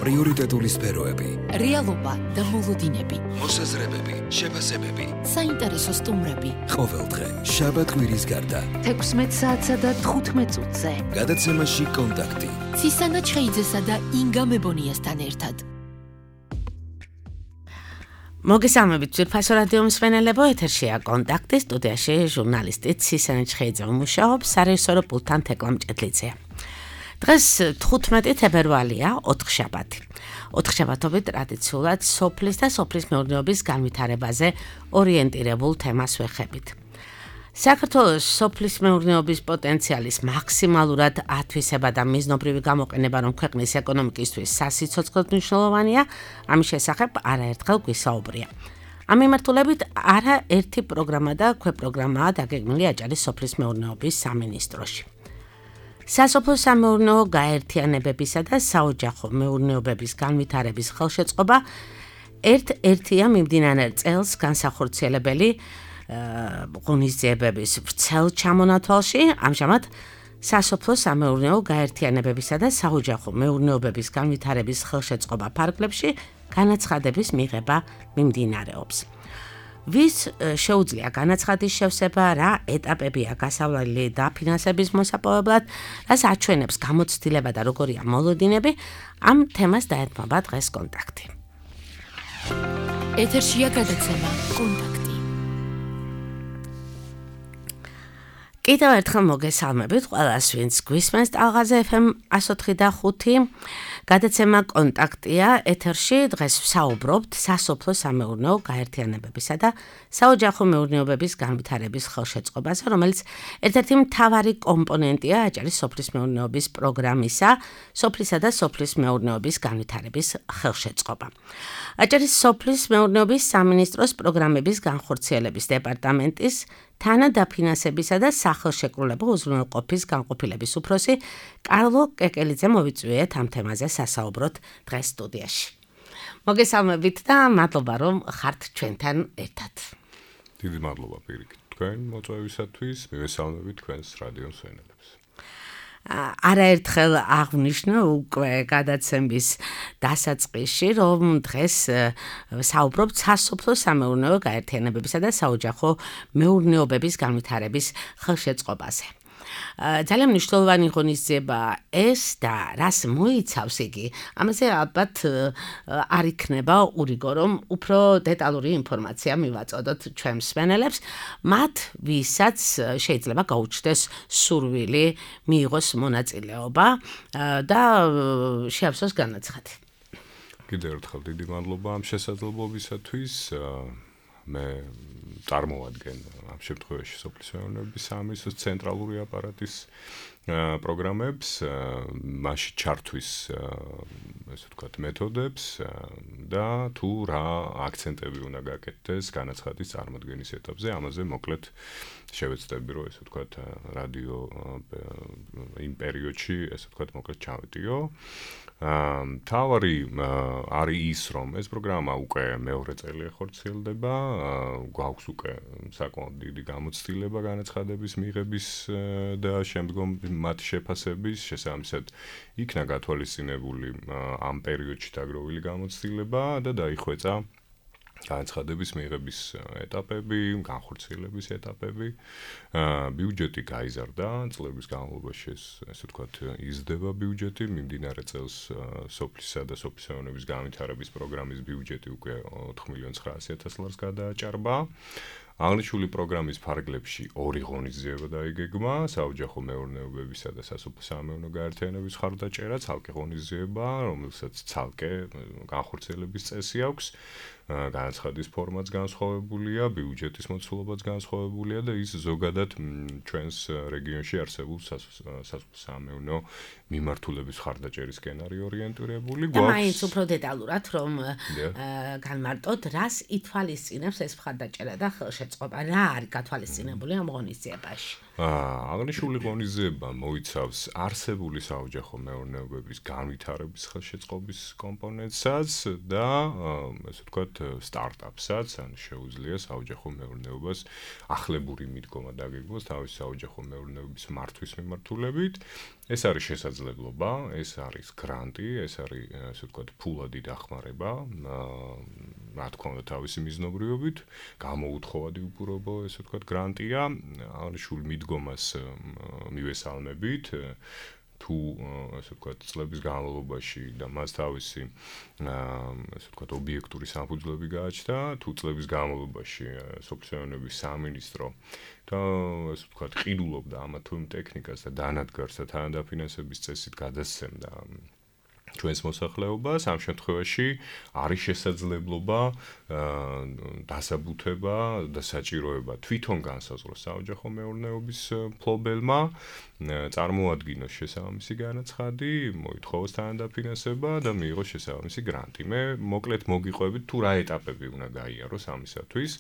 პრიორიტეტული სფეროები, რეალობა და მოლოდინები, მოსაზრებები, შეფასებები, საინტერესო სტუმრები. ყოველდღე შაბათ-კვირის გარდა 16 საათსა და 15 წუთზე. გადაცემაში კონტაქტი. ცისანა ჩხეიძესა და ინგა მებონიასთან ერთად. მოგესალმებით ძვირფასო რადიო მსმენელებო, ეთერშია კონტაქტი, სტუდიაში ჟურნალისტი ცისანა ჩხეიძე მუშაობს, სარეჟისორო პულტთან თეკლა მჭედლიძეა. დღეს 15 თებერვალია, ოთხშაბათი. ოთხშაბათობით ტრადიციულად სოფლის და სოფლის მეურნეობის განვითარებაზე ორიენტირებულ თემას ვეხებით. საქართველოს სოფლის მეურნეობის პოტენციალის მაქსიმალურად ათვისება და მიზნობრივი გამოყენება, რომ ქვეყნის ეკონომიკისთვის სასიცოცხლოდ მნიშვნელოვანია, ამის შესახებ არაერთხელ გვისაუბრია. ამ მიმართულებით არაერთი პროგრამა და ქვეპროგრამაა დაგეგმილი აჭარის სოფლის მეურნეობის სამინისტროში. სასოფლო სამეურნეო გაერთიანებებისა და საოჯახო მეურნეობების განვითარების ხელშეწყობა ერთ-ერთია მიმდინარე წელს განსახორციელებელი ღონისძიებების ვრცელ ჩამონათვალში. ამჟამად სასოფლო სამეურნეო გაერთიანებებისა და საოჯახო მეურნეობების განვითარების ხელშეწყობა ფარგლებში განაცხადების მიღება მიმდინარეობს. ვის შეუძლია განაცხადის შევსება, რა ეტაპებია გასავლელი დაფინანსების მოსაპოვებლად, რას აჩვენებს გამოცდილება და როგორია მოლოდინები, ამ თემას დაეთმობა დღეს კონტაქტი. ეთერშია გადაცემა კონტაქტი. კიდევ ერთხელ მოგესალმებით ყველას, ვინც გვისმენს ტალღაზე FM 104.5. გადაცემა კონტაქტია, ეთერში დღეს ვსაუბრობთ სასოფლო სამეურნეო გაერთიანებებისა და საოჯახო მეურნეობების განვითარების ხელშეწყობაზე, რომელიც ერთ-ერთი მთავარი კომპონენტია აჭარის სოფლის მეურნეობის პროგრამისა, სოფლისა და სოფლის მეურნეობის განვითარების ხელშეწყობა. აჭარის სოფლის მეურნეობის სამინისტროს პროგრამების განხორციელების დეპარტამენტის თანადაფინანსებისა და სახელშეკრულებო უზრუნველყოფის განყოფილების უფროსი კარლო კეკელიძე მოვიწვიეთ ამ თემაზე სასაუბროთ დღეს სტუდიაში. მოგესალმებით და მადლობა რომ ხართ ჩვენთან ერთად. დიდი მადლობა პირიქით თქვენ მოწვევისათვის, მივესალმებით თქვენს რადიო მსმენელებს. არაერთხელ აღნიშნე უკვე გადაცემის დასაწყისში, რომ დღეს საუბრობთ სასოფლო სამეურნეო გაერთიანებებისა და საოჯახო მეურნეობების განვითარების ხელშეწყობაზე. ძალიან მნიშვნელოვანი ღონისძიება ეს და რას მოიცავს იგი, ამაზე ალბათ არ იქნება ურიგო, რომ უფრო დეტალური ინფორმაცია მივაწოდოთ ჩვენ მსმენელებს, მათ ვისაც შეიძლება გაუჩნდეს სურვილი მიიღოს მონაწილეობა და შეავსოს განაცხადი. კიდევ ერთხელ დიდი მადლობა ამ შესაძლებლობისათვის. მე წარმოვადგენ ამ შემთხვევაში სოფლის მეურნეობის სამინისტროს ცენტრალური აპარატის პროგრამებს, მასში ჩართვის ესე ვთქვათ მეთოდებს და თუ რა აქცენტები უნდა გაკეთდეს განაცხადის წარმოქმნის ეტაპზე, ამაზე მოკლედ შევეცდები რომ ესე ვთქვათ რადიო იმ პერიოდში ესე ვთქვათ მოკლედ ჩავეტიო. თავარი არის ის, რომ ეს პროგრამა უკვე მეორე წელი ხორციელდება, გვაქვს უკვე საკმაოდ დიდი გამოცდილება განაცხადების მიღების და შემდგომ მათ შეფასების, შესაბამისად იქნა გათვალისწინებული ამ პერიოდში დაგროვილი გამოცდილება და დაიხვეწა განაცხადების მიღების ეტაპები, განხორციელების ეტაპები. ბიუჯეტი გაიზარდა, წლების განმავლობაში ესე ვთქვათ იზრდება ბიუჯეტი, მიმდინარე წელს სოფლისა და სოფლის მეურნეობის განვითარების პროგრამის ბიუჯეტი უკვე 4.900.000 ლარს გადააჭარბა. აღნიშნული პროგრამის ფარგლებში ორი ღონისძიება დაიგეგმა, საოჯახო მეურნეობებისა და სასოფლო სამეურნეო გაერთიანების მხარდაჭერა, ცალკე ღონისძიება, რომელსაც ცალკე განხორციელების წესი აქვს. განაცხადის ფორმაც განსხვავებულია, ბიუჯეტის მოცულობაც განსხვავებულია და ის ზოგადად ჩვენს რეგიონში არსებულ სასოფლო სამეურნეო მიმართულების მხარდაჭერისკენ არის ორიენტირებული. მაინც უფრო დეტალურად რომ განმარტოთ, რას ითვალისწინებს ეს მხარდაჭერა და ხელშეწყობა, რა არის გათვალისწინებული ამ ღონისძიებაში. აღნიშნული ღონისძიება მოიცავს არსებული საოჯახო მეურნეობების განვითარების ხელშეწყობის კომპონენტსაც და ესე ვთქვათ სტარტაპსაც, ან შეუძლია საოჯახო მეურნეობას ახლებური მიდგომა დაგეგმოს თავის საოჯახო მეურნეობის მართვის მიმართულებით ეს არის შესაძლებლობა, ეს არის გრანტი, ეს არის ასე ვთქვათ ფულადი დახმარება, რა თქმა უნდა თავისი მიზნობრიობით, გამოუთხოვადი უპირობო ესე ვთქვათ გრანტია, აღნიშნულ მიდგომას მივესალმებით, თუ ასე ვთქვათ წლების განმავლობაში და მას თავისი ასე ვთქვათ ობიექტური საფუძვლები გააჩნდა, თუ წლების განმავლობაში სოფლის სამინისტრო და ასე ვთქვათ ყიდულობდა ამა თუ იმ ტექნიკას და დანადგარს და თანადაფინანსების წესით გადასცემდა ჩვენს მოსახლეობას, ამ შემთხვევაში არის შესაძლებლობა დასაბუთება და საჭიროება თვითონ განსაზღვროს საოჯახო მეურნეობის მფლობელმა, წარმოადგინოს შესაბამისი განაცხადი, მოითხოვოს თანადაფინანსება და მიიღოს შესაბამისი გრანტი. მე მოკლედ მოგიყვებით თუ რა ეტაპები უნდა გაიაროს ამისათვის.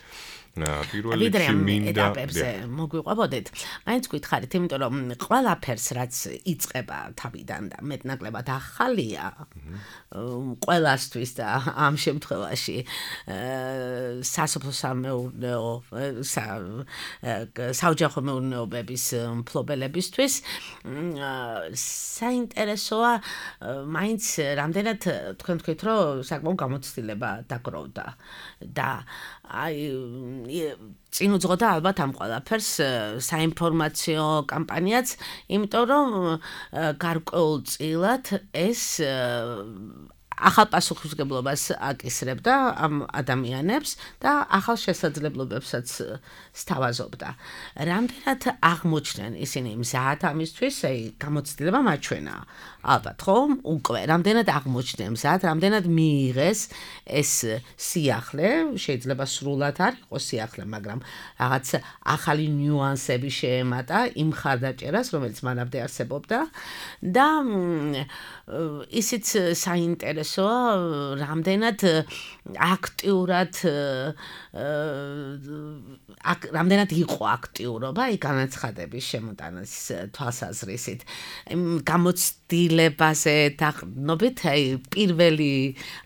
პირველ რიგში მინდა ეტაპებზე მოგვიყვებოდეთ. მაინც გითხარით, იმიტომ რომ ყველაფერს რაც იწყება თავიდან და მეტნაკლებად ახალია, ყველასთვის და ამ შემთხვევაში სასოფლო-სამეურნეო საოჯახო მეურნეობების მფლობელებისთვის საინტერესოა მაინც რამდენად თქვენ თქვით რომ საკმაოდ გამოცდილება დაგროვდა და აი წინ უძღოდა ალბათ ამ ყველაფერს საინფორმაციო კამპანიაც, იმიტომ რომ გარკვეულწილად ეს ახალ პასუხისმგებლობას აკისრებდა ამ ადამიანებს და ახალ შესაძლებლობებსაც სთავაზობდა. რამდენად აღმოჩნდნენ ისინი მზად ამისთვის, აი გამოცდილება მაჩვენა. ალბათ ხომ? უკვე რამდენად აღმოჩნდნენ მზად, რამდენად მიიღეს ეს სიახლე, შეიძლება სრულად არ იყოს სიახლე, მაგრამ რაღაც ახალი ნიუანსები შეემატა იმ ხარდაჭერას, რომელიც მანამდე არსებობდა და ისიც საინტერესოა, რამდენად აქტიურად რამდენად იყო აქტიურობა აი განაცხადების შემოტანის თვალსაზრისით. გამოცდილებაზე დაყრდნობით, აი პირველი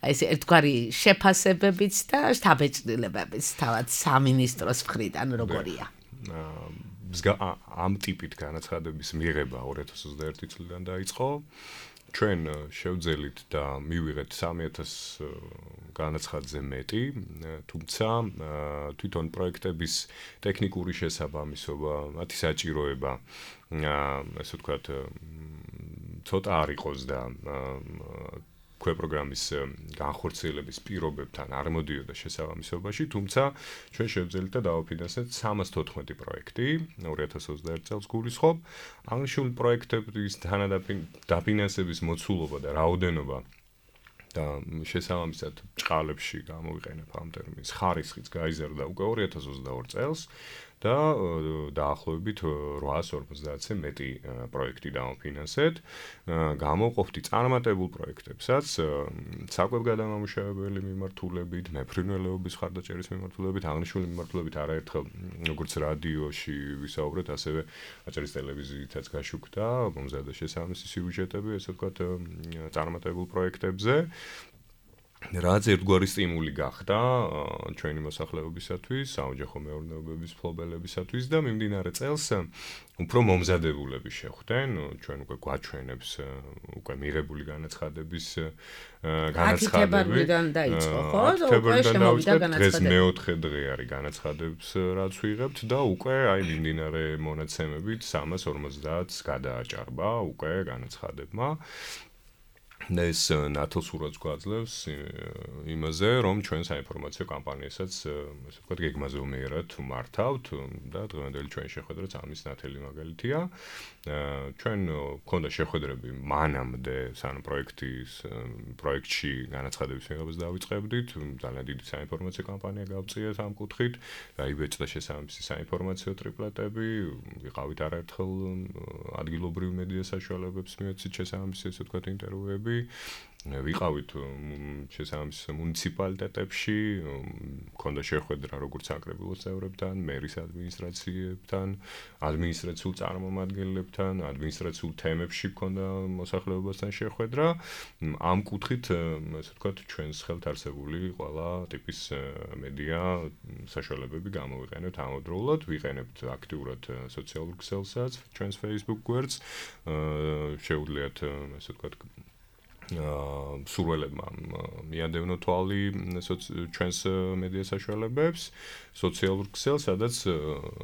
აი ეს ერთგვარი შეფასებებიც და შთაბეჭდილებებიც თავად სამინისტროს მხრიდან როგორია? ამ ტიპით განაცხადების მიღება 2021 წლიდან დაიწყო. ჩვენ შევძელით და მივიღეთ 3000 განაცხადზე მეტი, თუმცა თვითონ პროექტების ტექნიკური შესაბამისობა, მათი საჭიროება, ასე ვთქვათ, ცოტა არ იყოს და პროგრამის განხორციელების პირობებთან არ მოდიოდა შესაბამისობაში, თუმცა ჩვენ შევძელით და დავაფინანსეთ 314 პროექტი 2021 წელს გულისხმობ. აღნიშნული პროექტების დაფინანსების მოცულობა და რაოდენობა და შესაბამისად ჭყალებში გამოვიყენებ ამ ტერმინს, ხარისხიც გაიზარდა უკვე 2022 წელს და დაახლოებით 850-ზე მეტი პროექტი დავაფინანსეთ. გამოვყოფდი წარმატებულ პროექტებსაც, საკვებგადამამუშავებელი მიმართულებით, მეფრინველეობის ხარდაჭერის მიმართულებით, აღნიშნული მიმართულებით არაერთხელ როგორც რადიოში ვისაუბრეთ, ასევე აჭარის ტელევიზიითაც გაშუქდა, მომზადდა შესაბამისი სიუჟეტები, ესე ვთქვათ, წარმატებულ პროექტებზე. რაც ერთგვარი სტიმული გახდა ჩვენი მოსახლეობისათვის, საოჯახო მეურნეობების მფლობელებისათვის და მიმდინარე წელს უფრო მომზადებულები შეხვდნენ, ჩვენ უკვე გვაჩვენებს უკვე მიღებული განაცხადების განაცხადები. დაიწყო, ხო? დღეს მეოთხე დღე არის განაცხადებს რაც ვიღებთ და უკვე აი მიმდინარე მონაცემებით 350-ს გადააჭარბა უკვე განაცხადებმა. ეს ნათელსურაც გვაძლევს იმაზე, რომ ჩვენ საინფორმაციო კამპანიასაც, ასე ვთქვათ, გეგმაზე უმიერად მართავთ და დღევანდელი ჩვენი შეხვედრაც ამის ნათელი მაგალითია. ჩვენ გვქონდა შეხვედრები მანამდე, სანამ პროექტში განაცხადების მიღებას დავიწყებდით, ძალიან დიდი საინფორმაციო კამპანია გავწიეთ ამ კუთხით, დაიბეჭდა შესაბამისი საინფორმაციო ტრიპლეტები, ვიყავით არაერთხელ ადგილობრივ მედია საშუალებებს მიეცით შესაბამისი, ასე ვთქვათ, ინტერვიუები. ვიყავით შესაბამის მუნიციპალიტეტებში, მქონდა შეხვედრა როგორც საკრებულოს წევრებთან, მერის ადმინისტრაციებთან, ადმინისტრაციულ წარმომადგენლებთან, ადმინისტრაციულ თემებში მქონდა მოსახლეობასთან შეხვედრა. ამ კუთხით, ასე ვთქვათ, ჩვენს ხელთ არსებული ყველა ტიპის მედია საშუალებები გამოვიყენებთ ამავდროულად, ვიყენებთ აქტიურად სოციალურ ქსელსაც, ჩვენს Facebook გვერდს, შეუძლიათ, ასე ვთქვათ, სურველებმა მიადევნო თვალი ჩვენს მედია საშუალებებს, სოციალურ ქსელს, სადაც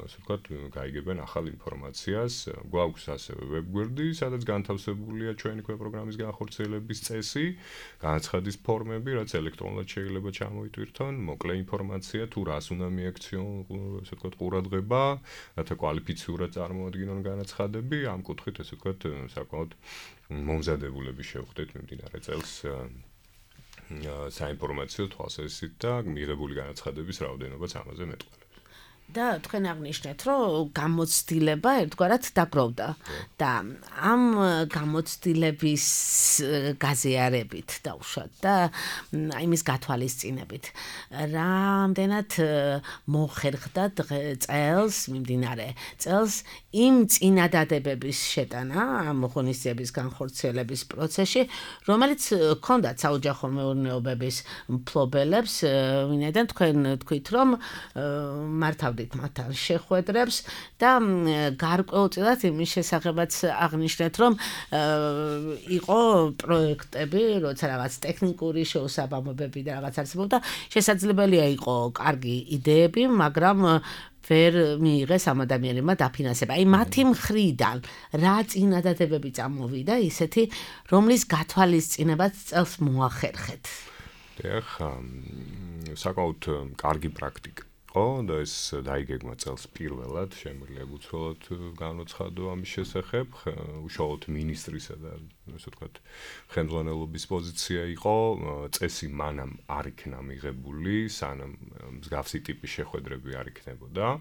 ასე ვთქვათ, გაიგებენ ახალ ინფორმაციას. გვაქვს ასევე ვებგვერდი, სადაც განთავსებულია ჩვენი პროგრამის განხორციელების წესი, განაცხადის ფორმები, რაც ელექტრონულად შეიძლება ჩამოიტვირთონ, მოკლე ინფორმაცია თუ რას უნდა მიაქციონ, ასე ვთქვათ, ყურადღება, რათა კვალიფიციურად წარმოადგინონ განაცხადები, ამ კუთხით ასე ვთქვათ, საკმაოდ მომზადებულები შევხვდეთ მიმდინარე წელს საინფორმაციო თვალსაზრისით და მიღებული განაცხადების რაოდენობაც ამაზე მეტყველებს. და თქვენ აღნიშნეთ, რომ გამოცდილება ერთგვარად დაგროვდა და ამ გამოცდილების გაზიარებით დავუშვათ და იმის გათვალისწინებით რამდენად მოხერხდა წელს მიმდინარე წელს იმ წინადადებების შეტანა ამ ღონისძიების განხორციელების პროცესში, რომელიც ჰქონდათ საოჯახო მეურნეობების მფლობელებს, ვინაიდან თქვენ თქვით, რომ მართავდით მათთან შეხვედრებს და გარკვეულწილად იმის შესახებაც აღნიშნეთ, რომ იყო პროექტები, როცა რაღაც ტექნიკური შეუსაბამობები და რაღაც არსებობდა, შესაძლებელია იყო კარგი იდეები, მაგრამ ვერ მიიღეს ამ ადამიანებმა დაფინანსება. აი მათი მხრიდან რა წინადადებები წამოვიდა ისეთი, რომლის გათვალისწინებაც წელს მოახერხეთ. დიახ, საკმაოდ კარგი პრაქტიკა. და ეს დაიგეგმა წელს პირველად, შემიძლია უცვლელად განოცხადო ამის შესახებ, უშუალოდ მინისტრისა და ასე ვთქვათ, ხელმძღვანელობის პოზიცია იყო, წესი მანამ არ იქნა მიღებული, სანამ მსგავსი ტიპის შეხვედრები არ იქნებოდა.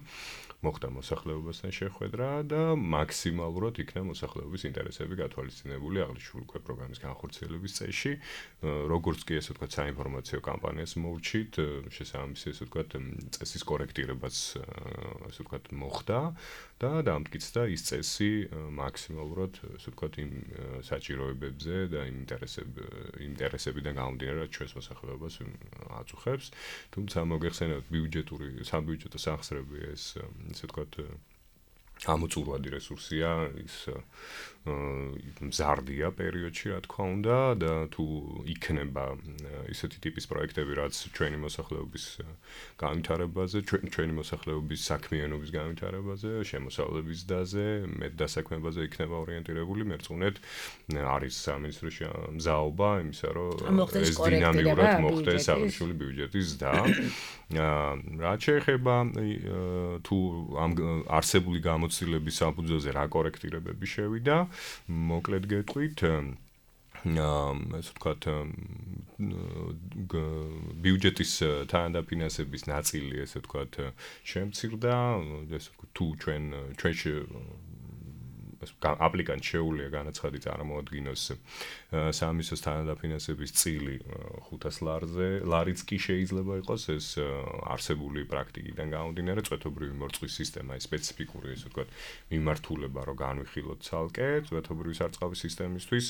მოხდა მოსახლეობასთან შეხვედრა და მაქსიმალურად იქნა მოსახლეობის ინტერესები გათვალისწინებული აღნიშნული პროგრამის განხორციელების წესში, როგორც კი ასე ვთქვათ, საინფორმაციო კამპანიას მოვრჩით, შესაბამისი ასე ვთქვათ, წესის კორექტირებაც ასე ვთქვათ, მოხდა და დამტკიცდა ის წესი მაქსიმალურად ასე ვთქვათ, იმ საჭიროებებზე და იმ ინტერესებიდან გამომდინარე, რაც ჩვენს მოსახლეობას აწუხებს. თუმცა მოგეხსენებათ საბიუჯეტო სახსრები ეს ასე ვთქვათ, ამოწურვადი რესურსია, ის მზარდია პერიოდში, რა თქმა უნდა, და თუ იქნება ისეთი ტიპის პროექტები, რაც ჩვენი მოსახლეობის განვითარებაზე, ჩვენი მოსახლეობის საქმიანობის განვითარებაზე, შემოსავლების დაზე, მეტდასაქმებაზე იქნება ორიენტირებული, მერწმუნეთ, არის სამინისტროში მზაობა იმისა, რომ ეს დინამიურად მოხდეს აღნიშნული ბიუჯეტის და რაც შეეხება თუ ამ არსებული გამოცდილების საფუძველზე რა კორექტირებები შევიდა, მოკლედ გეტყვით, ასე ვთქვათ, ბიუჯეტის თანადაფინანსების ნაწილი, ასე ვთქვათ, შემცირდა, ეს თუ ჩვენში აპლიკანტ შეუძლია განაცხადი წარმოადგინოს სამინისტროს თანადაფინანსების წილი 500 ლარიც კი შეიძლება იყოს ეს არსებული პრაქტიკიდან გამომდინარე წვეთობრივი მორწყვის სისტემა ის სპეციფიკური ესე ვთქვათ მიმართულება რომ განვიხილოთ ცალკე წვეთობრივი სარწყავი სისტემისთვის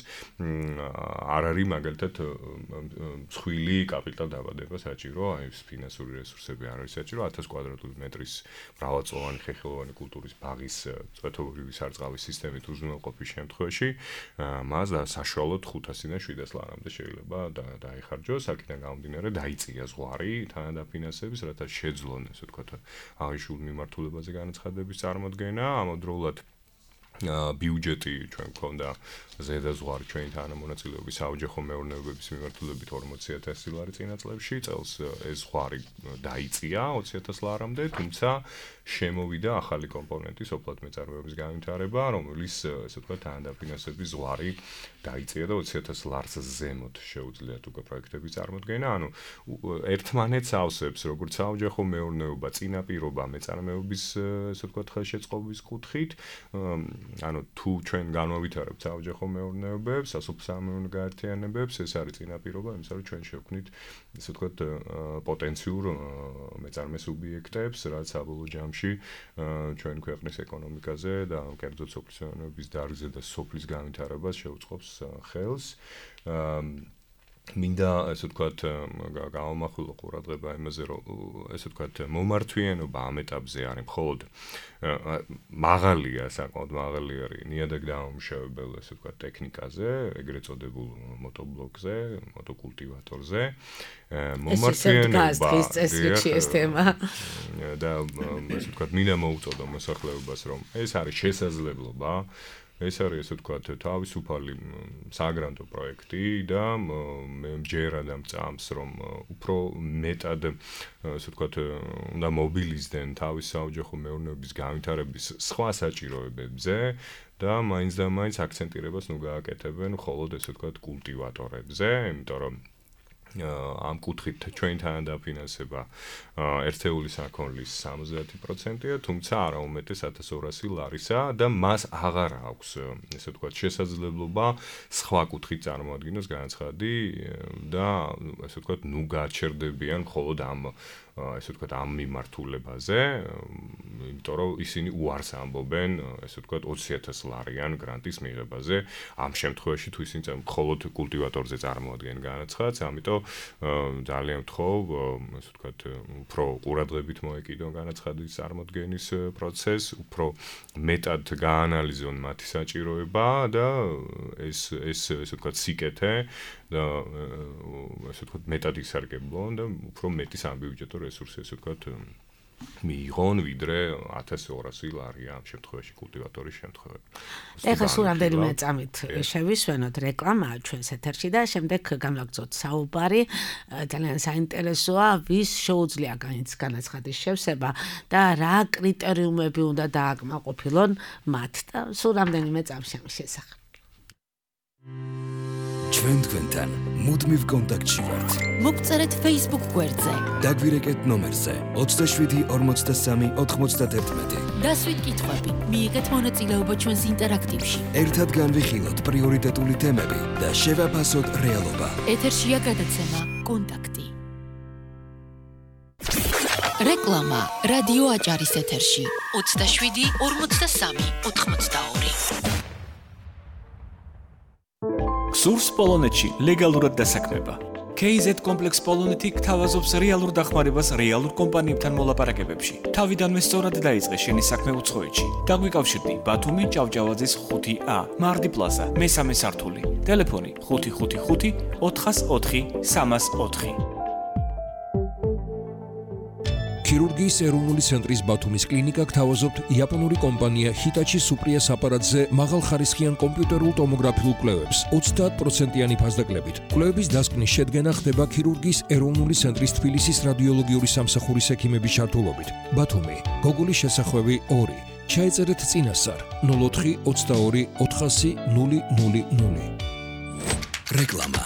არ არის მაგალითად მსხვილი კაპიტალ დაბადება საჭირო აი ეს ფინანსური რესურსები არ არის საჭირო 1000 კვადრატული მეტრის მრავალწლოვანი ხეხილოვანი კულტურის ბაღის წვეთობრივი სარწყავი სისტემით უზრუნველყოფის შემთხვევაში მას საშუალოდ 500-დან 700 ლარამდე შეიძლება დაიხარჯოს, აქედან გამომდინარე დაიწია ზღვარი თანადაფინანსების, რათა შეძლონ, ასე ვთქვათ, აღნიშნულ მიმართულებაზე განაცხადების წარმოდგენა, ამავდროულად ბიუჯეტი ჩვენ გვქონდა ზედაზღვარი ჩვენი თანამონაწილეობის საოჯახო მეურნეობების მიმართულებით 40000 ლარი წინა წლებში, წელს ეს ზღვარი დაიწია 20000 ლარამდე, თუმცა შემოვიდა ახალი კომპონენტი სოფლად მეწარმეობის განვითარება, რომელიც ასე ვთქვათ თანადაფინანსების ზღვარი დაიწია და 20000 ლარს ზემოთ შეუძლიათ უკვე პროექტების წარმოდგენა, ანუ ერთმანეთს ავსებს როგორც საოჯახო მეურნეობა, წინაპირობა მეწარმეობის ასე ვთქვათ ხელშეწყობის კუთხით, ანუ თუ ჩვენ განვავითარებთ საოჯახო მეურნეობებს, სასოფლო-სამეურნეო გაერთიანებებს, ეს არის წინაპირობა იმისა, რომ ჩვენ შევქმნით, ესე ვთქვათ, პოტენციურ მეწარმე სუბიექტებს, რაც საბოლოო ჯამში ჩვენ ქვეყნის ეკონომიკაზე და კერძოდ სოფლის დარგზე და სოფლის განვითარებას შეუწყობს ხელს. მინდა ესე ვთქვათ გავამახვილო ყურადღება იმაზე, რომ ესე ვთქვათ მომართვიანობა ამ ეტაპზე არის მხოლოდ მაღალია, საკმაოდ მაღალი არის ნიადაგ დამამუშავებელ ესე ვთქვათ ტექნიკაზე, ეგრეთ წოდებულ მოტობლოკზე, მოტოკულტივატორზე. მომართვიანობა ეს თემა და ესე ვთქვათ მინდა მოუწოდო მოსახლეობას, რომ ეს არის შესაძლებლობა. ეს არის ესე ვთქვათ თავისუფალი საგრანტო პროექტი და მე მჯერა და მწამს რომ უფრო მეტად ესე ვთქვათ უნდა მობილიზდნენ თავის საოჯახო მეურნეობის განვითარების სხვა საჭიროებებზე და მაინც და მაინც აქცენტირებას ნუ გააკეთებენ მხოლოდ ესე ვთქვათ კულტივატორებზე, იმიტომ რომ ამ კუთხით ჩვენ თანადაფინანსება ერთეული საქონლის 70%-ია, თუმცა არა უმეტეს 1200 ლარისა და მას აღარ აქვს, ესე ვთქვათ, შესაძლებლობა სხვა კუთხით წარმოადგინოს განცხადი და ესე ვთქვათ, ნუ გაჩერდებიან მხოლოდ ამ ესე ვთქვათ, ამ მიმართულებაზე, იმიტომ რომ ისინი უარს ამბობენ, ესე ვთქვათ, 20000 ლარიან გრანტის მიღებაზე, ამ შემთხვევაში თუ ისინი მხოლოდ კულტივატორზე წარმოადგენენ განაცხადს, ამიტომ ძალიან ვთხოვ, ესე ვთქვათ, უფრო ყურადღებით მოეკიდონ განაცხადის წარმოდგენის პროცესს, უფრო მეტად გაანალიზონ მათი საჭიროება და ესე ვთქვათ, სიკეთე და ესე ვთქვათ, მეტად ისარგებლონ და უფრო მეტი სამბიუჯეტო რესურსი ესე ვთქვათ მიიღონ, ვიდრე 1200 ლარია ამ შემთხვევაში კულტივატორის შემთხვევაში. ეხლა სულ რამდენიმე წამით შევისვენოთ რეკლამა ჩვენს ეთერში და შემდეგ განვაგრძოთ საუბარი. ძალიან საინტერესოა, ვის შეუძლია განაცხადის შევსება და რა კრიტერიუმები უნდა დააკმაყოფილონ მათ და სულ რამდენიმე წამში ამ შესახებ. ჩვენ თქვენთან მუდმივ კონტაქტში ვართ. მოგწერეთ Facebook გვერდზე. დაგვირეკეთ ნომერზე 27 43 91. დასვით კითხვები, მიიღეთ მონაწილეობა ჩვენს ინტერაქტივში. ერთად განვიხილოთ პრიორიტეტული თემები და შევაფასოთ რეალობა. ეთერშია გადაცემა კონტაქტი. რეკლამა რადიო აჭარის ეთერში 27 43 82. სურს პოლონეთში ლეგალურად დასაქმება. KZ კომპლექს პოლონეთი გთავაზობს რეალურ დახმარებას რეალურ კომპანიებთან მოლაპარაკებებში. თავიდანვე სწორად დაიწყე შენი საქმე უცხოეთში. დაგვიკავშირდი ბათუმი ჭავჭავაძის 5A, მარდი პლაზა, მესამე სართული. ტელეფონი 555 404 304. ქირურგიის ეროვნული ცენტრის ბათუმის კლინიკა გთავაზობთ იაპონური კომპანია ჰიტაჩი სუპრიას აპარატზე მაღალხარისხიან კომპიუტერულ ტომოგრაფიულ კვლევებს 30%-იანი ფასდაკლებით. კვლევების დასკვნის შედგენა ხდება ქირურგიის ეროვნული ცენტრის თბილისის რადიოლოგიური სამსახურის ექიმების ჩართულობით. ბათუმი, გოგოლის შესახვევი 2. ჩაეწერეთ წინასწარ 04 22 400 000. რეკლამა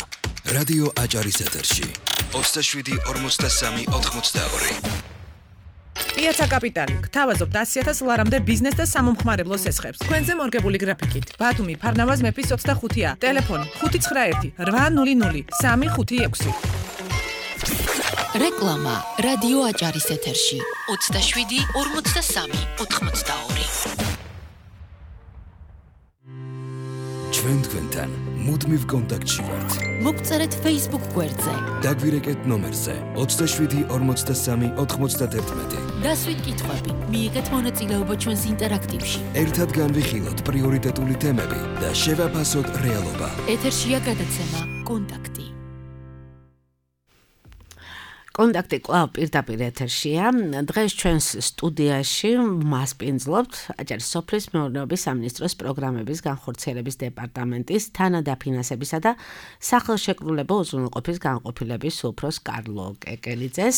რადიო აჭარის ეთერში 27 43 82. პიაცა კაპიტალი გთავაზობთ 100,000 ლარამდე ბიზნეს და სამომხმარებლო სესხებს. თქვენზე მორგებული გრაფიკით. ბათუმი, ფარნავაზ მეფის 25-ა. ტელეფონი 591 800 356. რეკლამა რადიო აჭარის ეთერში 27 43 82. ჩვენ თქვენთან მუდმივ კონტაქტში ვართ. მოგწერეთ Facebook გვერდზე. დაგვირეკეთ ნომერზე 27 43 91. დასვით კითხვები, მიიღეთ მონაწილეობა ჩვენს ინტერაქტივში. ერთად განვიხილოთ პრიორიტეტული თემები და შევაფასოთ რეალობა. ეთერშია გადაცემა კონტაქტი. კონტაქტი კვლავ პირდაპირ ეთერშია. დღეს ჩვენს სტუდიაში მასპინძლობთ აჭარის სოფლის მეურნეობის სამინისტროს პროგრამების განხორციელების დეპარტამენტის თანადაფინანსებისა და სახელშეკრულებო უზრუნველყოფის განყოფილების უფროს კარლო კეკელიძეს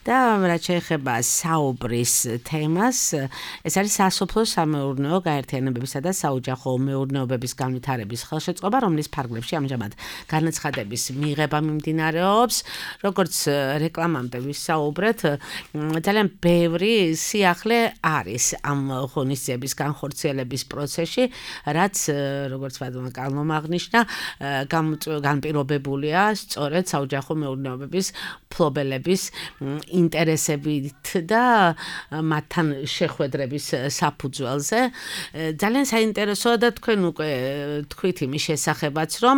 და რაც შეეხება საუბრის თემას, ეს არის სასოფლო სამეურნეო გაერთიანებებისა და საოჯახო მეურნეობების განვითარების ხელშეწყობა, რომლის ფარგლებში ამჟამად განაცხადების მიღება მიმდინარეობს, როგორც რეკლამამდე ვისაუბრეთ, ძალიან ბევრი სიახლე არის ამ ღონისძიების განხორციელების პროცესში, რაც როგორც ვადმა კალმომ აღნიშნა, განპირობებულია სწორედ საოჯახო მეურნეობების ფლობელების ინტერესებით და მათთან შეხვედრების საფუძველზე. ძალიან საინტერესოა და თქვენ უკვე თქვით იმის შესახებაც, რომ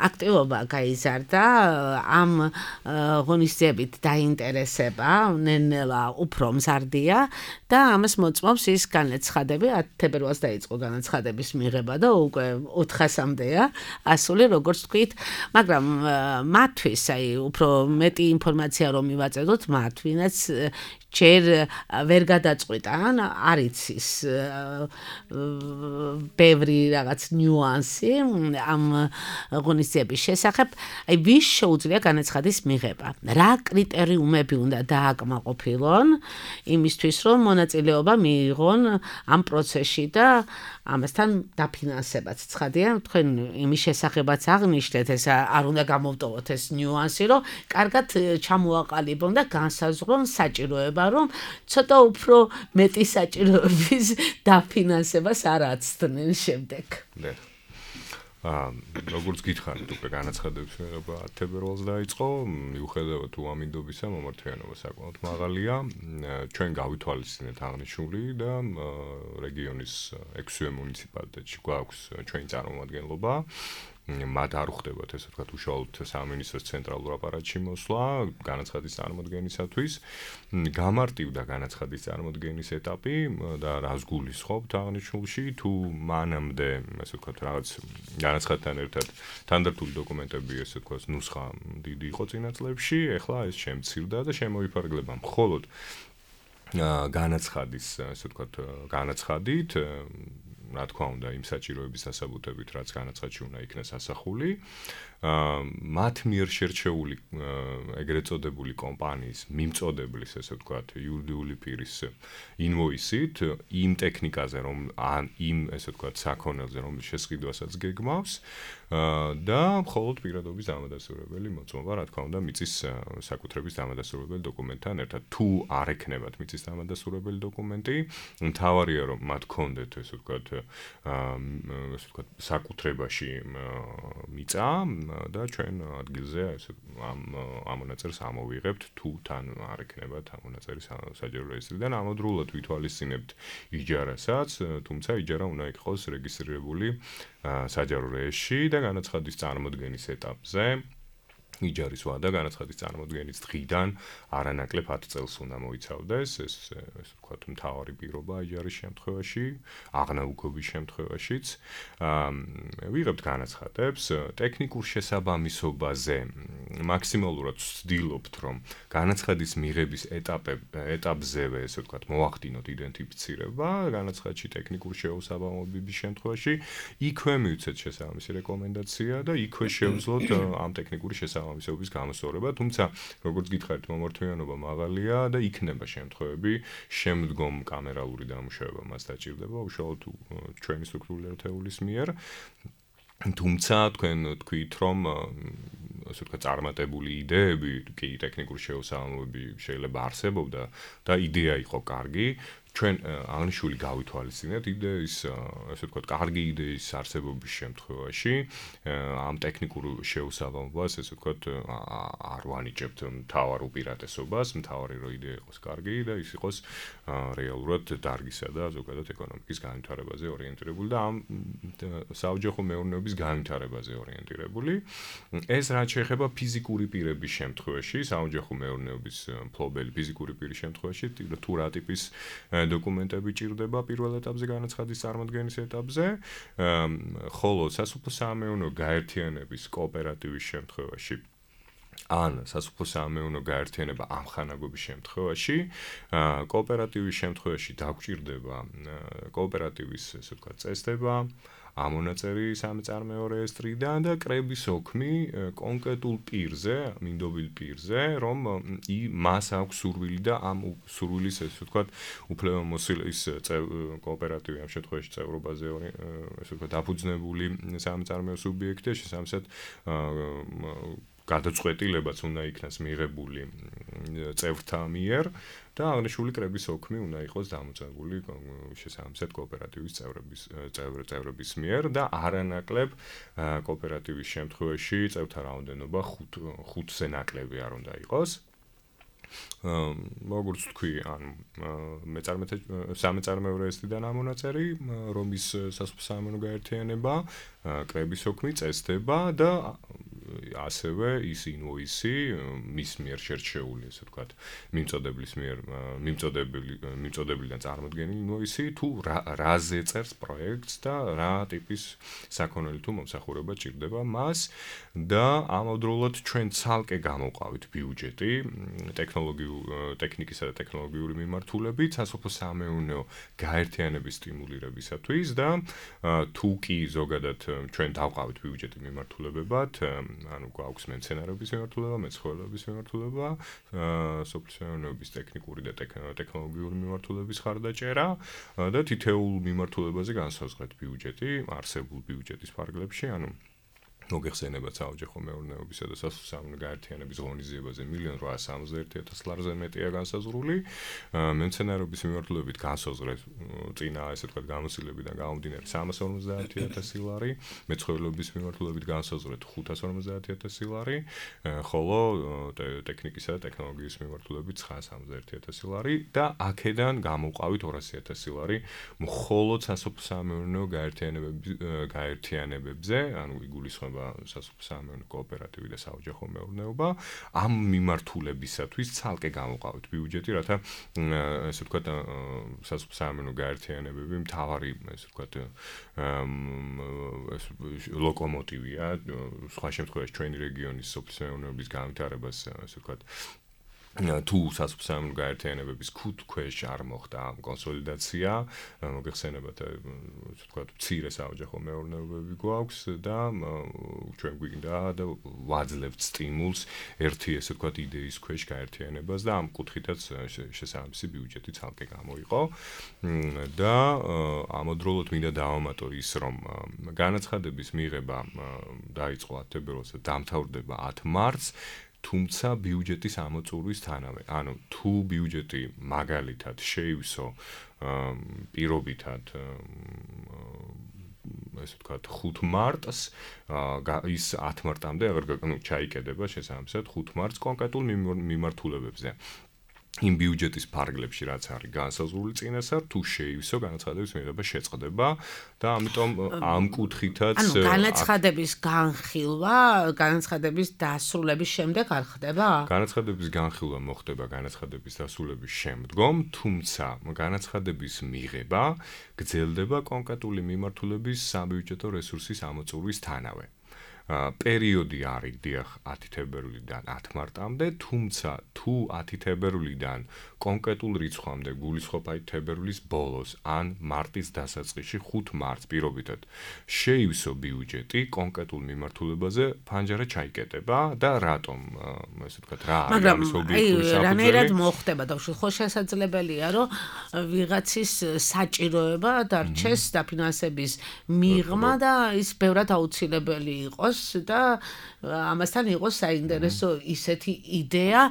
აქტივობა გაიზარდა ამ ღონისძიებით დაინტერესება ნელ-ნელა უფრო მზარდია და ამას მოწმობს ის განაცხადები 10 თებერვალს დაიწყო განაცხადების მიღება და უკვე 400-მდეა ასული როგორც თქვით, მაგრამ მათთვის უფრო მეტი ინფორმაცია რომ მივაწედოთ მათ, ვინაც ჯერ ვერ გადაწყვიტა, ან არის ის ბევრი რაღაც ნიუანსი ამ ღონისძიების შესახებ, აი ვის შეუძლია განაცხადის მიღება, რა კრიტერიუმები უნდა დააკმაყოფილონ იმისთვის, რომ მონაწილეობა მიიღონ ამ პროცესში და ამასთან დაფინანსებაც. ცხადია, თქვენ იმის შესახებაც აღნიშნეთ, ეს არ უნდა გამოვტოვოთ ეს ნიუანსი, რომ კარგად ჩამოაყალიბონ და განსაზღვრონ საჭიროება, რომ ცოტა უფრო მეტი საჭიროების დაფინანსებას არ აცდნენ შემდეგ. როგორც გითხარით, უკვე განაცხადებს მიღება 10 თებერვალს დაიწყო, მიუხედავად უამინდობისა, მომართვიანობა საკმაოდ მაღალია. ჩვენ გავითვალისწინეთ აღნიშნული და რეგიონის 6 მუნიციპალიტეტში გვაქვს ჩვენი წარმომადგენლობა. მათ არ ხდებათ ესე ვთქვათ უშუალოდ სამინისტროს ცენტრალურ აპარატში მოსვლა განაცხადის წარმოდგენისათვის. გამარტივდა განაცხადის წარმოდგენის ეტაპი და რას გულისხმობთ აღნიშნულში, თუ მანამდე ესე ვთქვათ რაღაც განაცხადთან ერთად თანდართული დოკუმენტები ესე ვთქვათ ნუსხა დიდი იყო წინა წლებში, ეხლა ეს შემცირდა და შემოიფარგლება მხოლოდ განაცხადის ესე ვთქვათ განაცხადით, რა თქმა უნდა, იმ საჭიროების დასაბუთებით, რაც განაცხადში უნდა იქნეს ასახული. მათ მიერ შერჩეული ეგრეთ წოდებული კომპანიის მიმწოდებლის, ესე ვთქვათ, იურიდიული პირის ინვოისით, იმ ტექნიკაზე, რომ იმ ესე ვთქვათ, საქონელზე, რომლის შესყიდვასაც გეგმავს და მხოლოდ პირადობის დამადასტურებელი მოწმობა, რა თქმა უნდა, მიწის საკუთრების დამადასტურებელი დოკუმენტთან ერთად. თუ არ ექნებათ მიწის დამადასტურებელი დოკუმენტი, მთავარია, რომ მათ ჰქონდეთ, ესე ვთქვათ, საკუთრებაში მიწა და ჩვენ ადგილზე ესე ამ მონაწერს ამოვიღებთ, თუ თან არ ექნებათ ამ მონაწერის საჯარო რეესტრიდან, ამავდროულად ვითვალისწინებთ იჯარასაც, თუმცა იჯარა უნდა იყოს რეგისტრირებული საჯარო რეესტრში და განაცხადის წარმოდგენის ეტაპზე იჯარის ვადა განაცხადის წარმოდგენის დღიდან არანაკლებ 10 წელს უნდა მოიცავდეს, ეს ვთქვათ მთავარი პირობა იჯარის შემთხვევაში, აღნაუგობის შემთხვევაშიც. ვიღებთ განაცხადებს ტექნიკურ შესაბამისობაზე მაქსიმალურად ვცდილობთ, რომ განაცხადის მიღების ეტაპზევე, ესე ვთქვათ, მოახდინოთ იდენტიფიცირება განაცხადში ტექნიკური შეუსაბამობების შემთხვევაში, იქვე მივცეთ შესაბამისი რეკომენდაცია და იქვე შევძლოთ ამ ტექნიკური შესაბამისობის გამოსწორება, თუმცა როგორც გითხარით, მომართვიანობა მაღალია და იქნება შემთხვევები, შემდგომ კამერალური დამუშავება მას დაჭირდება უშუალოდ ჩვენი სტრუქტურული ერთეულის მიერ. თუმცა თქვენ თქვით, რომ ასე ვთქვათ, წარმატებული იდეები, კი ტექნიკური შეუსაბამობები შეიძლება არსებობდა და იდეა იყო კარგი, ჩვენ აღნიშნული გავითვალისწინეთ იდეის, ასე ვთქვათ, კარგი იდეის არსებობის შემთხვევაში ამ ტექნიკურ შეუსაბამობას, ასე ვთქვათ, არ ვანიჭებთ მთავარ უპირატესობას, მთავარი რომ იდეა იყოს კარგი და ის იყოს რეალურად დარგისა და ზოგადად ეკონომიკის განვითარებაზე ორიენტირებული და ამ საოჯახო მეურნეობის განვითარებაზე ორიენტირებული. ეს რაც შეეხება ფიზიკური პირების შემთხვევაში, საოჯახო მეურნეობის მფლობელი ფიზიკური პირის შემთხვევაში, თუ რა ტიპის დოკუმენტები ჭირდება პირველ ეტაპზე განაცხადის წარმოდგენის ეტაპზე, ხოლო სასოფლო-სამეურნეო გაერთიანების კოოპერატივის შემთხვევაში ან სასოფლო-სამეურნეო გაერთიანება ამხანაგობის შემთხვევაში, კოოპერატივის შემთხვევაში დაგჭირდება კოოპერატივის, ესე ვთქვათ, წესდება, ამონაწერი სამწარმოო რეესტრიდან და კრების ოქმი კონკრეტულ პირზე, მინდობილ პირზე, რომ მას აქვს სურვილი და ამ სურვილის, ესე ვთქვათ, უფლებამოსილის კოოპერატივი ამ შემთხვევაში წევრობაზე, ესე ვთქვათ, დაფუძნებული სამწარმოო სუბიექტია, შესაბამისად გადაწყვეტილებაც უნდა იქნას მიღებული წევრთა მიერ და აღნიშნული კრების ოქმი უნდა იყოს დამოწმებული შესაბამისად კოოპერატივის წევრების მიერ და არანაკლებ კოოპერატივის შემთხვევაში წევრთა რაოდენობა 5-ზე ნაკლები არ უნდა იყოს. როგორც თქვი, ანუ სამეწარმეორეესთან ამონაწერი, რომ ის სასოფლო-სამეურნეო გაერთიანება, კრების ოქმი წესდება და ასევე ის ინვოისი მის მიერ შერჩეული, ესე ვთქვათ, მიმწოდებლიდან წარმოდგენილი ინვოისი თუ რაზე წერს პროექტს და რა ტიპის საქონელი თუ მომსახურება ჭირდება მას და ამავდროულად ჩვენ ცალკე გამოვყავით ბიუჯეტი ტექნიკისა და ტექნოლოგიური მიმართულებით სასოფლო-სამეურნეო გაერთიანების სტიმულირებისათვის და თუ კი ზოგადად ჩვენ დავყავით ბიუჯეტი მიმართულებებად, ანუ გვაქვს მეცენარეობის მიმართულება, მეცხოველეობის მიმართულება, სოფლის ტექნიკური და ტექნოლოგიური მიმართულების ხარდაჭერა და თითოეულ მიმართულებაზე განსაზღვრეთ ბიუჯეტი არსებულ ბიუჯეტის ფარგლებში, ანუ მოგეხსენებათ საოჯახო მეურნეობისა და სასოფლო-სამეურნეო გაერთიანების ღონისძიებაზე 1.861.000 ლარზე მეტია განსაზღვრული, მეცენარეობის მიმართულებით განსაზღვრეთ წინა ესე ვთქვათ გამოცდილებიდან გამომდინარე 350.000 ლარი, მეცხოველეობის მიმართულებით განსაზღვრეთ 550.000 ლარი, ხოლო ტექნიკისა და ტექნოლოგიის მიმართულებით 971.000 ლარი და აქედან გამოვყავით 200.000 ლარი მხოლოდ სასოფლო-სამეურნეო გაერთიანებებზე, ანუ იგულისხმება სასოფლო-სამეურნეო კოოპერატივი და საოჯახო მეურნეობა ამ მიმართულებისათვის ცალკე გამოვყავით ბიუჯეტი, რათა ესე ვთქვათ სასოფლო-სამეურნეო გაერთიანებები მთავარი ესე ვთქვათ ლოკომოტივია სხვა შემთხვევაში ჩვენი რეგიონის სოფლის-მეურნეობის განვითარებას ესე ვთქვათ თუ სასოფლო-სამეურნეო გაერთიანებების ქვეშ არ მოხდა კონსოლიდაცია, მოგეხსენებათ, ასე ვთქვათ, მცირე საოჯახო მეურნეობები გვაქვს და ჩვენ გვინდა და ვაძლევთ სტიმულს ერთი ასე ვთქვათ იდეის ქვეშ გაერთიანებას და ამ კუთხითაც შესაბამისი ბიუჯეტი ცალკე გამოიყო და ამავდროულად მინდა დავამატო ის, რომ განაცხადების მიღება დაიწყო 10 თებერვალს და დამთავრდება 10 მარტს, თუმცა ბიუჯეტის ამოწურვისთანავე, ანუ თუ ბიუჯეტი მაგალითად შეივსო პირობითად ესე ვთქვათ 5 მარტს ის 10 მარტამდე აღარ ჩაიკედება შესაბამისად 5 მარტს კონკრეტულ მიმართულებებზე. იმ ბიუჯეტის ფარგლებში რაც არის განსაზღვრული წინასწარ თუ შეივსო განაცხადების მიღება შეწყდება და ამიტომ ამ კუთხითაც ანუ განაცხადების განხილვა განაცხადების დასრულების შემდეგ არ ხდება? განაცხადების განხილვა მოხდება განაცხადების დასრულების შემდგომ, თუმცა განაცხადების მიღება გრძელდება კონკრეტული მიმართულების საბიუჯეტო რესურსის ამოწურვისთანავე. პერიოდი არის დიახ 10 თებერვლიდან 10 მარტამდე, თუმცა თუ 10 თებერვლიდან კონკრეტულ რიცხვამდე გულისხმობ აი თებერვლის ბოლოს ან მარტის დასაწყისში 5 მარტს პირობითად შეივსო ბიუჯეტი კონკრეტულ მიმართულებაზე ფანჯარა ჩაიკეტება და რატომ ესე ვთქვათ რა არის ამის ობიექტური საფუძველი? რანაირად მოხდება და ხო შესაძლებელია რომ ვიღაცის საჭიროება დარჩეს დაფინანსების მიღმა და ის ბევრად აუცილებელი იყოს და ამასთან იყოს საინტერესო ისეთი იდეა,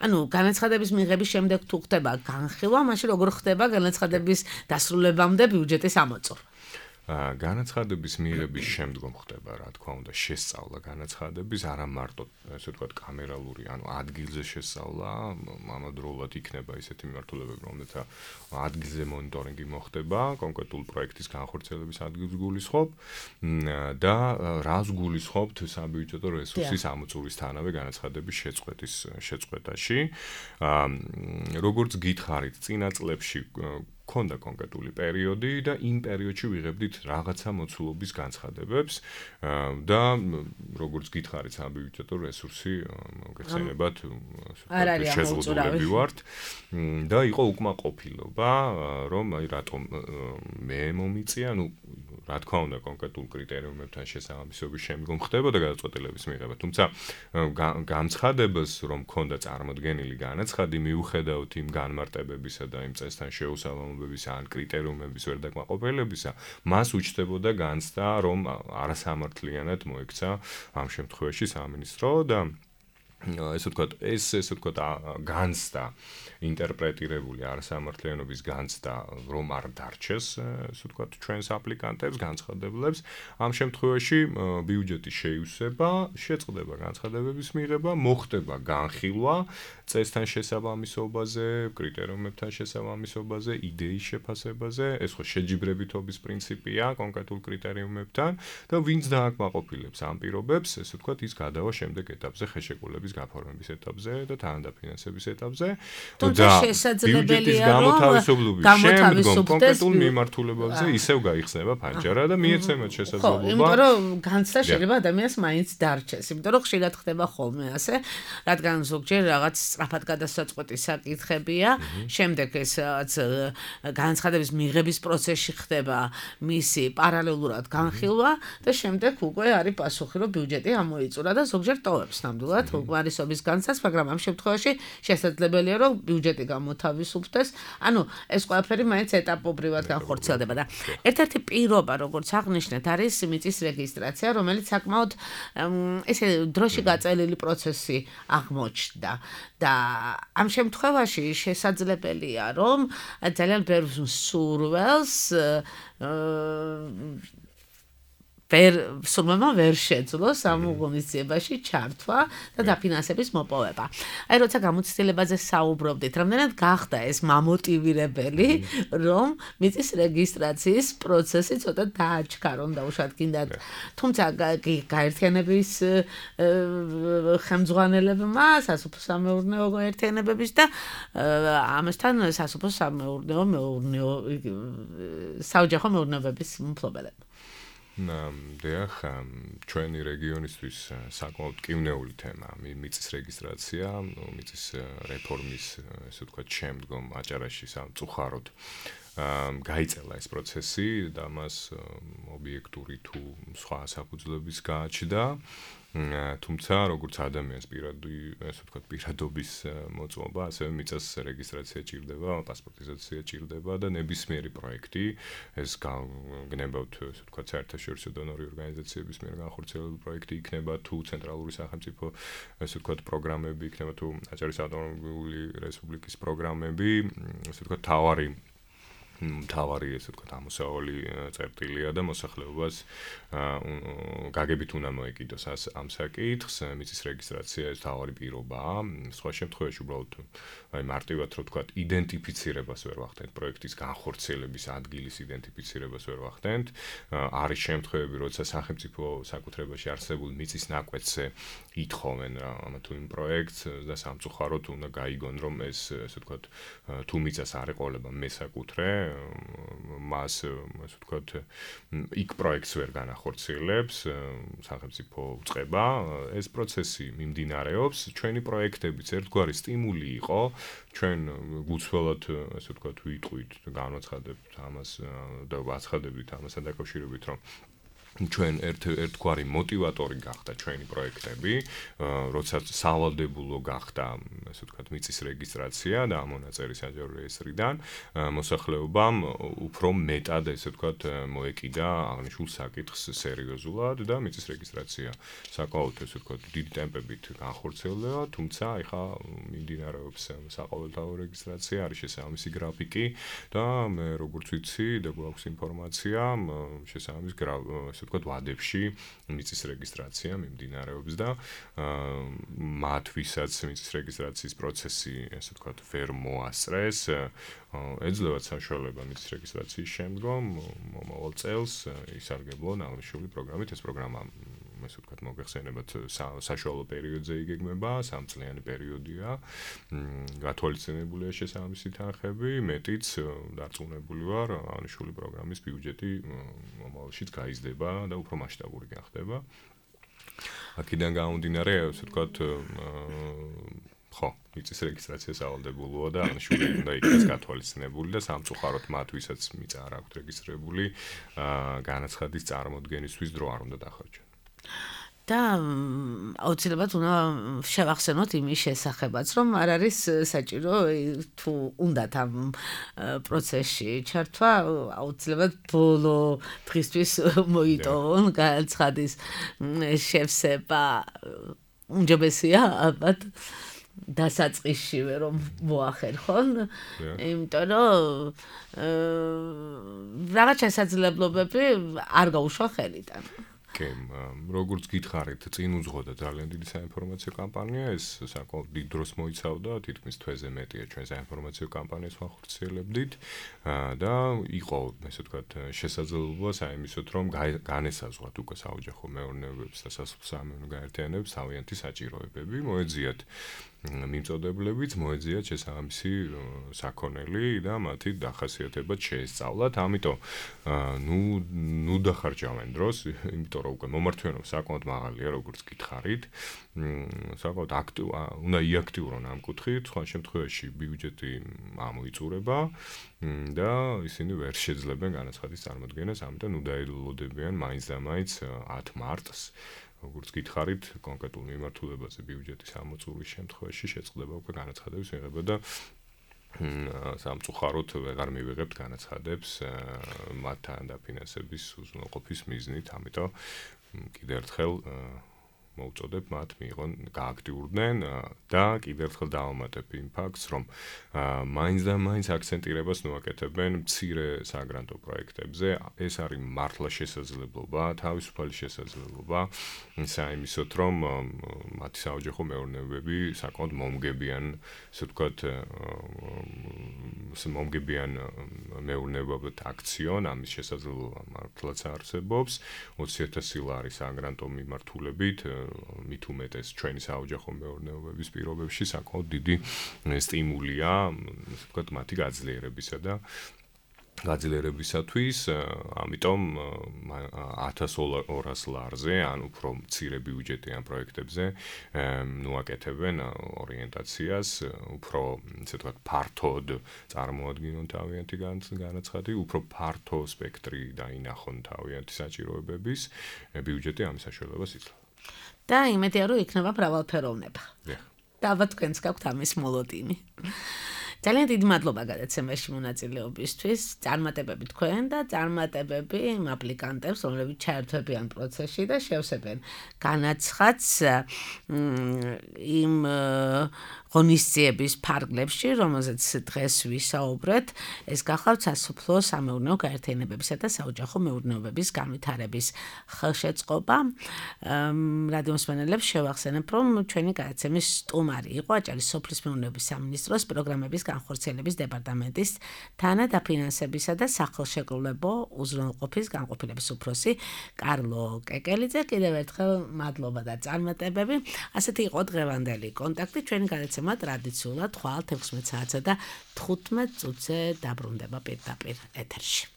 ანუ განაცხადების მიღების შემდეგ თუ ხდება განხილვა, მაშინ როგორ ხდება განაცხადების დასრულებამდე ბიუჯეტის ამოწურვა? განაცხადების მიღების შემდგომ ხდება, რა თქმა უნდა, შესწავლა განაცხადების, არა მარტო, ესე ვთქვათ, კამერალური, ანუ ადგილზე შესწავლა, ამავდროულად იქნება ისეთი მიმართულებები, რომელთა ადგილზე მონიტორინგი მოხდება, კონკრეტულ პროექტის განხორციელების ადგილს გულისხმობ და რას გულისხმობთ საბიუჯეტო რესურსის ამოწურვისთანავე განაცხადების შეწყვეტაში. როგორც გითხარით, წინა წლებში ქონდა კონკრეტული პერიოდი და იმ პერიოდში ვიღებდით რაღაცა მოცულობის განცხადებებს და როგორც გითხარით საბიუჯეტო რესურსი მოგეხსენებათ შეზღუდულები ვართ და იყო უკმაყოფილება რომ აი რატომ მე მომიწია, ну რა თქმა უნდა კონკრეტულ კრიტერიუმებთან შესაბამისობის შემდგომ ხდებოდა გადაწყვეტილების მიღება, თუმცა განცხადებას რომ ქონდა წარმოდგენილი განაცხადი მიუხედავთ იმ განმარტებებისა და იმ წესთან შეუსაბამობებისა ან კრიტერიუმების ვერ დაკმაყოფილებისა, მას უჩნდებოდა განცდა რომ არასამართლიანად მოექცა ამ შემთხვევაში სამინისტრო და ესე ვთქვათ, განცდა ინტერპრეტირებული არასამართლიანობის განცდა რომ არ დარჩეს, ესე ვთქვათ, ჩვენს აპლიკანტებს, განცხადებლებს, ამ შემთხვევაში ბიუჯეტის შეივსება, შეწყდება განცხადებების მიღება, მოხდება განხილვა წესთან შესაბამისობაზე, კრიტერიუმებთან შესაბამისობაზე, იდეის შეფასებაზე, ეს ხო შეჯიბრებითობის პრინციპია კონკრეტულ კრიტერიუმებთან და ვინც დააკმაყოფილებს ამ პირობებს, ესე ვთქვათ, ის გადავა შემდეგ ეტაპზე, ხელშეკრულების გაფორმების ეტაპზე და თანადაფინანსების ეტაპზე. და შესაძლებელია რომ გამოთავისუფლდეს კონკრეტულ მიმართულებებზე ისევ გაიხსნება ფანჯარა და მიეცემათ შესაძლებლობა. იმიტომ რომ განცდა შეიძლება ადამიანს მაინც დარჩეს, იმიტომ რომ ხშირად ხდება ხოლმე ასე, რადგან ზოგჯერ რაღაც სწრაფად გადასაწყვეტი საკითხებია, შემდეგ ეს განცხადების მიღების პროცესში ხდება მისი პარალელურად განხილვა და შემდეგ უკვე არის პასუხი რომ ბიუჯეტი ამოიწურა და ზოგჯერ ტოვებს ნამდვილად უკმარისობის განცდას, მაგრამ ამ შემთხვევაში შესაძლებელია რომ ბიუჯეტი გამოთავისუფლდეს. ანუ ეს ყველაფერი მაინც ეტაპობრივად განხორციელდება და ერთ-ერთი პირობა, როგორც აღნიშნეთ, არის მიწის რეგისტრაცია, რომელიც საკმაოდ ესე დროში გაწელილი პროცესი აღმოჩნდა და ამ შემთხვევაში შესაძლებელია რომ ძალიან ბევრ მსურველს სულმემა ვერ შეძლოს ამ ღონისძიებაში ჩართვა და დაფინანსების მოპოვება. აი როცა გამოცდილებაზე საუბრობდით, რამდენად გახდა ეს მამოტივირებელი, რომ მიწის რეგისტრაციის პროცესი ცოტა დააჩქარონ და უშუალოდ გინდათ. თუმცა გაერთიანების ხელმძღვანელებმა სასოფლო-სამეურნეო გაერთიანებების და ამასთან სასოფლო-სამეურნეო საოჯახო მეურნეობების მფლობელებმა დიახ, ჩვენი რეგიონისთვის საკმაოდ კივნეული თემა მიწის რეგისტრაცია, მიწის რეფორმის, ესე ვთქვათ, შემდგომ აჭარაში სამწუხაროდ გაიწელა ეს პროცესი და მას ობიექტური თუ სხვა საფუძვლების გააჩნდა. თუმცა როგორც ადამიანის პირადობის მოწმობა, ასევე მიწის რეგისტრაცია ჭირდება, პასპორტიზაცია ჭირდება და ნებისმიერი პროექტი, ეს გნებავთ, ასე ვთქვათ, საერთაშორისო დონორი ორგანიზაციების მიერ განხორციელებული პროექტი იქნება თუ ცენტრალური სახელმწიფო, ასე ვთქვათ, პროგრამები იქნება თუ აჭარის ავტონომიური რესპუბლიკის პროგრამები, ასე ვთქვათ, თავარი ესე ვთქვათ ამოსავალი წერტილია და მოსახლეობას გაგებით უნდა მოეკიდოს ამ საკითხს, მიწის რეგისტრაცია ეს თავარი პირობაა. სხვა შემთხვევაში უბრალოდ აი მარტივად რო ვთქვათ იდენტიფიცირებას ვერ ვახდენთ, პროექტის განხორციელების ადგილის იდენტიფიცირებას ვერ ვახდენთ. არის შემთხვევები, როცა სახელმწიფო საკუთრებაში არსებულ მიწის ნაკვეთზე ითხოვენ ამ თუ იმ პროექტს და სამწუხაროდ უნდა გაიგონ რომ ეს ესე ვთქვათ თუ მიწას არ ეყოლება მესაკუთრე მას ასე ვთქვათ იქ პროექტს ვერ განახორციელებს სახელმწიფო უწყება ეს პროცესი მიმდინარეობს ჩვენი პროექტებიც ერთგვარი სტიმული იყო ჩვენ გუცველად ასე ვთქვათ ვიტყვით განაცხადებთ ამას და ვაცხადებით ამასთან დაკავშირებით რომ ჩვენ ერთგვარი мотиваტორი გახდა ჩვენი პროექტები, როდესაც სავალდებულო გახდა, ასე ვთქვათ, მიწის რეგისტრაცია და ამონაწერი საჯარო რეესტრიდან, მოსახლეობამ უფრო მეტად, ასე ვთქვათ, მოეკიდა აღნიშნულ საკითხს სერიოზულად და მიწის რეგისტრაცია საკმაოდ, ასე ვთქვათ, დიდი ტემპებით განხორციელდება, თუმცა ეხა მიმდინარეობს საყოველთაო რეგისტრაცია, არის შესაბამისი გრაფიკი და მე როგორც ვიცი და გვაქვს ინფორმაცია შესაბამის ასე ვთქვათ, ვადებში მიწის რეგისტრაცია მიმდინარეობს და მათ ვისაც მიწის რეგისტრაციის პროცესი, ასე ვთქვათ, ვერ მოასწრეს, ეძლევათ საშუალება მიწის რეგისტრაციის შემდგომ მომავალ წელს ისარგებლონ აღნიშნული პროგრამით. ეს პროგრამა, ასე ვთქვათ, მოგეხსენებათ საშუალო პერიოდზე იგეგმება, 3 წლიანი პერიოდია. გათვალისწინებულია შესაბამისი თანხები, მეტიც დარწმუნებული ვარ, აღნიშნული პროგრამის ბიუჯეტი მომავალშიც გაიზრდება და უფრო მასშტაბური გახდება. აქედან გამომდინარე, ასე ვთქვათ, ხო, მიწის რეგისტრაცია სავალდებულოა და აღნიშნული უნდა იქნას გათვალისწინებული და სამწუხაროდ მათ ვისაც მიწა არ აქვთ რეგისტრირებული, განაცხადის წარმოდგენისთვის დრო არ უნდა დახარჯონ. და აუცილებლად უნდა შევახსენოთ იმის შესახებაც, რომ არ არის საჭირო თუ უნდათ ამ პროცესში ჩართვა, აუცილებლად ბოლო დღისთვის მოიტოვონ განაცხადის შევსება უმჯობესია ალბათ დასაწყისშივე რომ მოახერხონ, იმიტომ რომ რაღაც შესაძლებლობები არ გაუშვა ხელიდან. კი, როგორც გითხარით, წინ უძღოდა ძალიან დიდი საინფორმაციო კამპანია, ეს საკმაოდ დიდ დროს მოიცავდა, თითქმის თვეზე მეტია ჩვენ საინფორმაციო კამპანიას ვახორციელებდით და იყო, ესე ვთქვათ, შესაძლებლობა საიმისოთ, რომ განესაზღვრათ უკვე საოჯახო მეურნეობებს და სასოფლო-სამეურნეო გაერთიანებებს თავიანთი საჭიროებები, მოეძიათ მიმწოდებლებიც, მოეძიათ შესაბამისი საქონელი და მათი დახასიათებაც შეესწავლათ, ამიტომ ნუ დახარჯავენ დროს, იმიტომ რომ უკვე მომართვენობა საკმაოდ მაღალია, როგორც გითხარით, საკმაოდ უნდა იაქტიურონ ამ კუთხით, სხვა შემთხვევაში ბიუჯეტი ამოიწურება და ისინი ვერ შეძლებენ განაცხადის წარმოქმნას, ამიტომ ნუ დაელოდებიან მაინც და მაინც 10 მარტს. როგორც გითხარით, კონკრეტულ მიმართულებაზე ბიუჯეტის ამოწურვის შემთხვევაში შეწყდება უკვე განაცხადების მიღება და სამწუხაროდ ვეღარ მივიღებთ განაცხადებს მათთან დაფინანსების უზრუნველყოფის მიზნით, ამიტომ კიდევ ერთხელ მოუწოდებ მათ მიიღონ გააქტიურდნენ და კიდევ ერთხელ დავამატებ იმ ფაქტს, რომ მაინც და მაინც აქცენტირებას ნუაკეთებენ მცირე საგრანტო პროექტებზე. ეს არის მართლა შესაძლებლობა, თავისუფალი შესაძლებლობა, საიმისოთ, რომ მათი საოჯახო მეურნეობები საკმაოდ მომგებიან, ასე ვთქვათ, მომგებიან მეურნეობად აქციონ, ამის შესაძლებლობა მართლაც არსებობს. 20,000 ლარი საგრანტო მიმართულებით მით უმეტეს ჩვენი საოჯახო მეურნეობების პირობებში საკმაოდ დიდი სტიმულია, ასე ვთქვათ, მათი გაძლიერებისათვის, ამიტომ 1,200 ლარზე, ან უფრო მცირე ბიუჯეტიან პროექტებზე ნუაკეთებენ ორიენტაციას, უფრო, ასე ვთქვათ, ფართოდ წარმოადგინონ თავიანთი განაცხადი, უფრო ფართო სპექტრი დაინახონ თავიანთი საჭიროებების, ბიუჯეტი ამის საშუალებას იძლევა. და იმედია რომ იქნება მრავალფეროვნება. და ალბათ თქვენს გაქვთ ამის მოლოდინი. ძალიან დიდი მადლობა გადაცემაში მონაწილეობისთვის, წარმატებები თქვენ და წარმატებები იმ აპლიკანტებს, რომლებიც ჩაერთვებიან პროცესში და შევსებენ განაცხადს იმ ღონისძიების ფარგლებში, რომელზეც დღეს ვისაუბრეთ, ეს გახლავთ სასოფლო-სამეურნეო გაერთიანებებისა და საოჯახო მეურნეობების განვითარების ხელშეწყობა. რადიო მსმენელებს შევახსენებ, რომ ჩვენი გადაცემის სტუმარი იყო აჭარის სოფლის მეურნეობის სამინისტროს პროგრამების განხორციელების დეპარტამენტის თანადაფინანსებისა და სახელშეკრულებო უზრუნველყოფის განყოფილების უფროსი კარლო კეკელიძე. კიდევ ერთხელ მადლობა და წარმატებები. ასეთი იყო დღევანდელი კონტაქტი. ჩვენი გადაცემა ტრადიციულად ხვალ 16 საათსა და 15 წუთზე დაბრუნდება პირდაპირ ეთერში.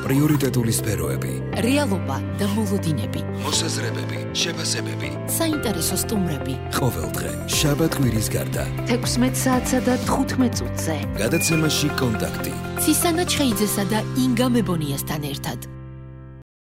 პრიორიტეტული სფეროები, რეალობა და მოლოდინები, მოსაზრებები, შეფასებები, საინტერესო სტუმრები. ყოველდღე შაბათ-კვირის გარდა 16 საათსა და 15 წუთზე. გადაცემაში კონტაქტი. ცისანა ჩხეიძესა და ინგა მებონიასთან ერთად.